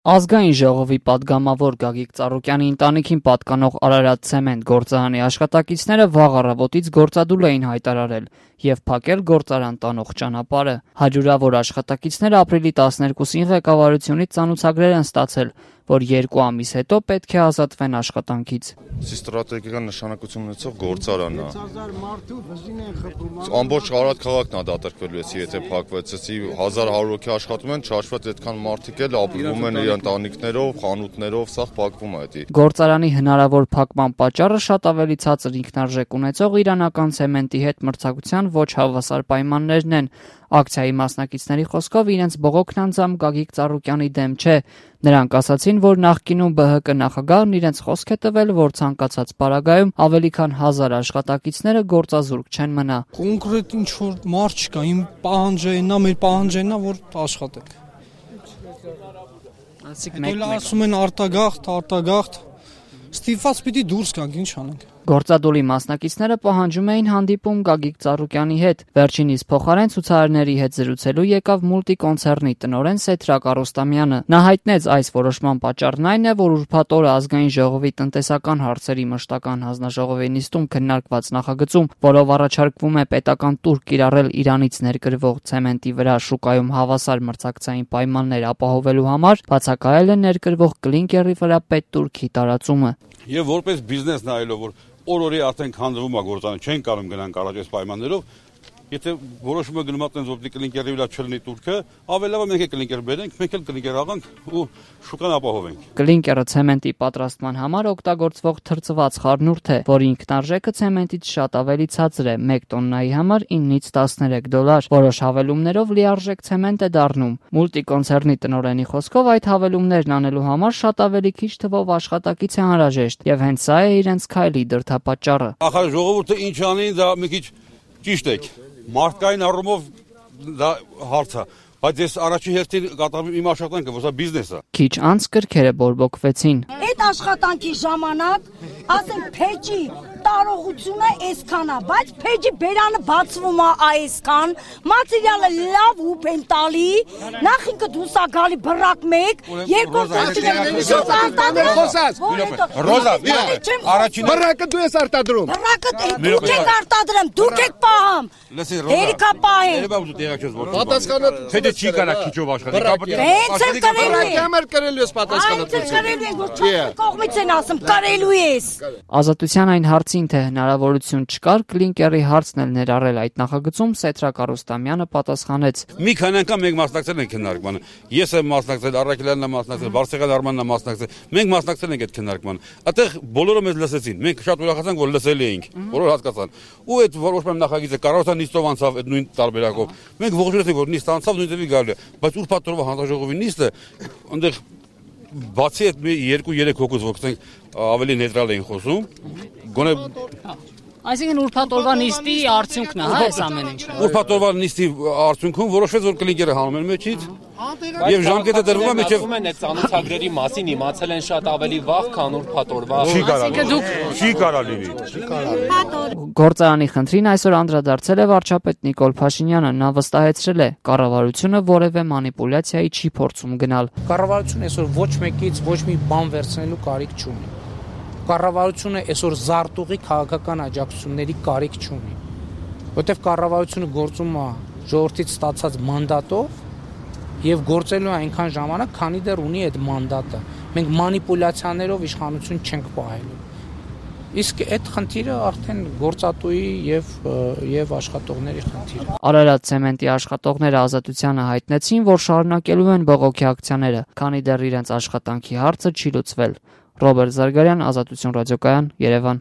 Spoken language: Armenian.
Ազգային ժողովի պատգամավոր Գագիկ Ծառուկյանի ընտանիքին պատկանող Արարատ ցեմենտ գործարանի աշխատակիցները վաղ առավոտից գործադուլ էին հայտարարել և փակել գործարան տանող ճանապարհը։ Հարյուրավոր աշխատակիցները ապրիլի 12-ին ղեկավարությունից ծանուցագրեր են ստացել, որ 2 ամիս հետո պետք է ազատվեն աշխատանքից։ Ստրատեգիական նշանակություն ունեցող գործարան է։ Ամբողջ Արարատ քաղաքն է դատարկվելու էսի, եթե փակվեց, էսի 1100 հոգի աշխատում են, չհաշված այդքան մարդիկ էլ ապրում են իր ընտանիքներով, խանութներով, սա փակվում է էդի։ Գործարանի հնարավոր փակման պատճառը շատ ավելի ցածր ինքնարժեք ունեցող իրանական ցեմենտի հետ մրցակցության ոչ հավասար պայմաններն են։ Ակցիայի մասնակիցների խոսքով իրենց բողոքն անձամբ Գագիկ Ծառուկյանի դեմ չէ։ Նրանք ասացին, որ նախկինում ԲՀԿ նախագահն իրենց խոսք է տվել, որ ցանկացած պարագայում ավելի քան 1000 աշխատակիցները գործազուրկ չեն մնա։ Կոնկրետ ինչ որ մարդ չկա, իմ պահանջը այնա, մեր պահանջը այնա, որ աշխատենք։ Այսինքն ասում են արտագաղթ, ստիպված պիտի դուրս գանք, ինչ անենք։ Գործադուլի մասնակիցները պահանջում էին հանդիպում Գագիկ Ծառուկյանի հետ։ Վերջինիս փոխարեն ցուցարարների հետ զրուցելու եկավ մուլտիկոնցեռնի տնօրեն Սեթրակ Արոստամյանը։ Նա հայտնեց այս որոշման պատճառն այն է, որ ուրբաթ օրը Ազգային ժողովի տնտեսական հարցերի մշտական հանձնաժողովի նիստում քննարկված նախագծում, որով առաջարկվում է պետական տուր կիրառել Իրանից ներկրվող ցեմենտի վրա շուկայում հավասար մրցակցային պայմաններ ապահովելու համար, բացակայել է ներկրվող կլինկերի վրա պետտուրքի տարածումը։ Եվ որպես բիզնես նայելով, որ օր-օրի արդեն քանդվում է գործարանը, չեն կարող գնանք առաջ այս պայմաններով, եթե որոշումը գնում է որ կլինկերի վրա չլինի տուրքը, ավելի լավ է մենք կլինկեր բերենք, մենք էլ կլինկեր աղանք ու շուկան ապահովենք։ Կլինկերը ցեմենտի պատրաստման համար օգտագործվող թրծված խառնուրդ է, որի ինքնարժեքը ցեմենտից շատ ավելի ցածր է, 1 տոննայի համար $9-13։ Որոշ հավելումներով լիարժեք ցեմենտ է դառնում։ Մուլտիկոնցեռնի տնօրենի խոսքով այդ հավելումներն անելու համար շատ ավելի քիչ թվով աշխատակից է անհրաժեշտ, եւ հենց սա է իրենց քայլի դրդապատճառը։ Ախր ժողովուրդը ինչ անի, դա մի քիչ ճիշտ է։ Մարդկային առումով դա հարց է, բայց ես առաջին հերթին կատարում իմ աշխատանքը, որ սա բիզնես է։ Քիչ անց կրքերը բորբոքվեցին։ Այդ աշխատանքի ժամանակ, ասենք, փեջի տարողությունը այսքան է, բայց փեջի բերանը բացվում է այսքան, մատերիալը լավ հուպ են տալի, նախ ինքը դուրս է գալի բռակ 1, երկրորդ Ռոզա, առաջին բռակը դու ես արտադրում։ Բռակը դուք եք արտադրում, դուք եք պահում։ Հերիքա պահեն։ Պատասխանը Թե չի կարա քիչով աշխատի։ Հենց էլ կրելու ես պատասխանը։ Կողմից են ասում, կարելու ես։ Ազատության այն հարցին, թե հնարավորություն չկար կլինկերի հարցն էլ ներառել այդ նախագծում, Սեթրակ Արոստամյանը պատասխանեց. Մի քանի անգամ մենք մասնակցել ենք քննարկմանը։ Ես եմ մասնակցել, Առաքելյանն է մասնակցել, Վարսեղյան Արմանն է մասնակցել։ Մենք մասնակցել ենք այդ քննարկմանը։ Այդտեղ բոլորը մեզ լսեցին։ Մենք շատ ուրախացանք, որ լսելի էինք, բոլորը հասկացան։ Ու այդ որոշման նախագիծը կառավարության նիստով անցավ այդ նույն տարբերակով։ Մենք ողջունեցինք, որ նիստ անցավ, նույնտեղի գալու է, բայց ուրբաթ օրվա հանձնաժողովի նիստը այնտեղ բացի այդ 2-3 հոգուց ոքսենք ավելի նեյտրալ էին խոսում, գոնե Այսինքն ուրբաթ օրվա նիստի արդյունքն է, հա, այս ամեն ինչը։ Ուրբաթ օրվա նիստի արդյունքում որոշվեց, որ կլինկերը հանում են մեջից, եւ ժամկետը դրվում է մեջև։ Ասում են այդ ծանոթագրերի մասին իմացել են շատ ավելի վաղ, քան ուրբաթ օրվա։ Չի կարա լինի։ Գործարանի խնդրին այսօր անդրադարձել է վարչապետ Նիկոլ Փաշինյանը, նա վստահեցրել է, կառավարությունը որևէ մանիպուլյացիայի չի փորձում գնալ։ Կառավարությունը այսօր ոչ մեկից ոչ մի բան վերցնելու կարիք չունի։ Կառավարությունը այսօր զարտուղի քաղաքական աջակցությունների կարիք չունի, որտեղ կառավարությունը գործում է ժողովրդից ստացած մանդատով եւ գործելու է այնքան ժամանակ, քանի դեռ ունի այդ մանդատը։ Մենք մանիպուլյացիաներով իշխանություն չենք պահելու։ Իսկ այդ խնդիրը արդեն գործատուի եւ աշխատողների խնդիրը։ Արարատ ցեմենտի աշխատողները Ազատությանը հայտնեցին, որ շարունակելու են բողոքի ակցիաները, քանի դեռ իրենց աշխատանքի հարցը չի լուծվել։ Ռոբերտ Զարգարյան, Ազատություն ռադիոկայան, Երևան։